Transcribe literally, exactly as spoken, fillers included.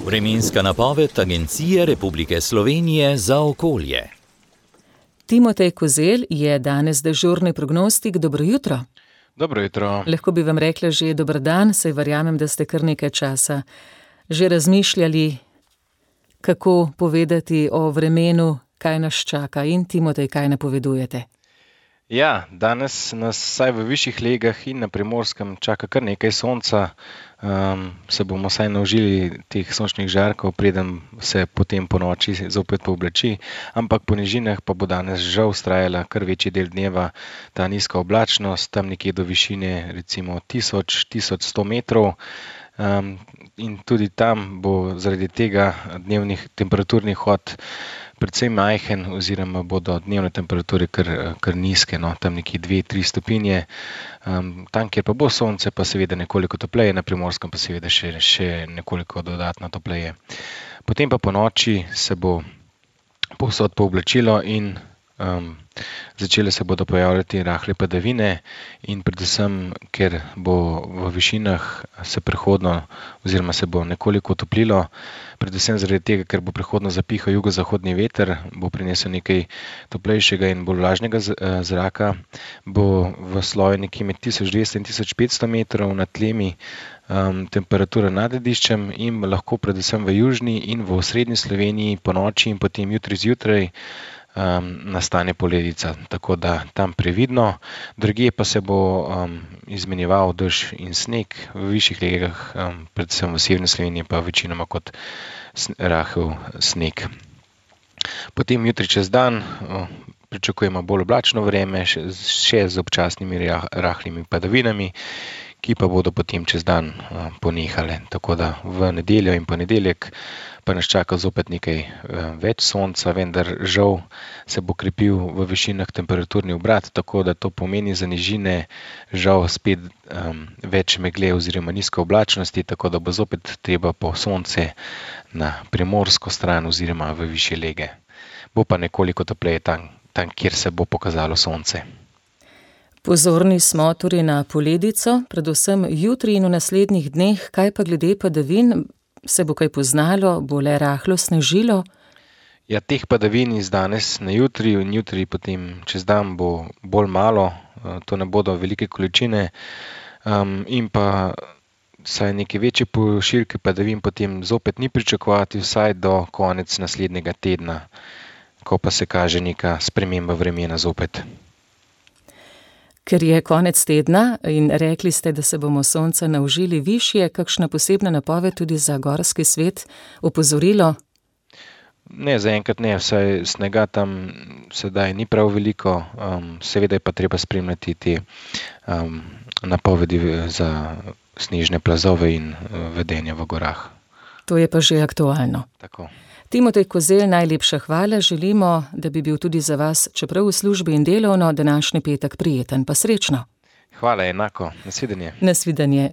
Vremenska napoved Agencije Republike Slovenije za okolje. Timotej Kozelj je danes dežurni prognostik. Dobro jutro. Dobro jutro. Lahko bi vam rekla že dober dan, saj verjamem, da ste kar nekaj časa že razmišljali, kako povedati o vremenu, kaj nas čaka. In Timotej, kaj napovedujete? Ja, danes nas vsaj v višjih legah in na Primorskem čaka kar nekaj sonca. Um, se bomo vsaj naužili teh sončnih žarkov, preden se potem po noči zopet pooblači, ampak po nižinah pa bo danes žal vztrajala kar večji del dneva ta nizka oblačnost, tam nekje do višine recimo tisoč do tisoč sto metrov. Um, in tudi tam bo zaradi tega dnevnih temperaturnih hod predvsem majhen, oziroma bodo dnevne temperature kar, kar nizke, no, tam nekje dve do tri stopinje. Um, tam, kjer pa bo sonce, pa seveda nekoliko topleje, na Primorskem pa seveda še, še nekoliko dodatno topleje. Potem pa po noči se bo povsod pooblačilo in um, začele se bodo pojavljati rahle padavine in predvsem, ker bo v višinah se prehodno oziroma se bo nekoliko toplilo, predvsem zaradi tega, ker bo prehodno zapihal jugozahodni veter, bo prinesel nekaj toplejšega in bolj vlažnega zraka, bo v sloju nekje med tisoč dvesto in tisoč petsto metrov nad tlemi um, temperatura nad lediščem in lahko predvsem v južni in v osrednji Sloveniji po noči in potem jutri zjutraj Um, nastane poledica, tako da tam previdno. Drugje pa se bo um, izmenjeval dež in sneg, v višjih legah, um, predvsem v severni Sloveniji pa večinoma kot rahel sneg. Potem jutri čez dan uh, pričakujemo bolj oblačno vreme, še, še z občasnimi rahlimi padavinami, ki pa bodo potem čez dan uh, ponehale. Tako da v nedeljo in ponedeljek pa nas čaka zopet nekaj več sonca, vendar žal se bo krepil v višinah temperaturni obrat, tako da to pomeni za nižine žal spet um, več megle oziroma nizke oblačnosti, tako da bo zopet treba po sonce na primorsko stran oziroma v višje lege. Bo pa nekoliko topleje tam, tam, kjer se bo pokazalo sonce. Pozorni smo torej na poledico, predvsem jutri in v naslednjih dneh. Kaj pa glede padavin? Se bo kaj poznalo, bo le rahlo snežilo? Ja, teh padavin iz danes na jutri in jutri potem čez dan bo bolj malo, to ne bodo velike količine um, in pa saj neke večje pošiljke padavin potem zopet ni pričakovati vsaj do konec naslednjega tedna, ko pa se kaže neka sprememba vremena zopet. Ker je konec tedna in rekli ste, da se bomo sonca naužili višje, kakšna posebna napoved tudi za gorski svet, opozorilo? Ne, zaenkrat ne, vsaj snega tam sedaj ni prav veliko, um, seveda je pa treba spremljati te um, napovedi za snežne plazove in uh, vedenja v gorah. To je pa že aktualno. Tako. Timotej Kozelj, najlepša hvala, želimo, da bi bil tudi za vas, čeprav v službi in delovno, današnji petek prijeten, pa srečno. Hvala, enako, nasvidenje. Nasvidenje.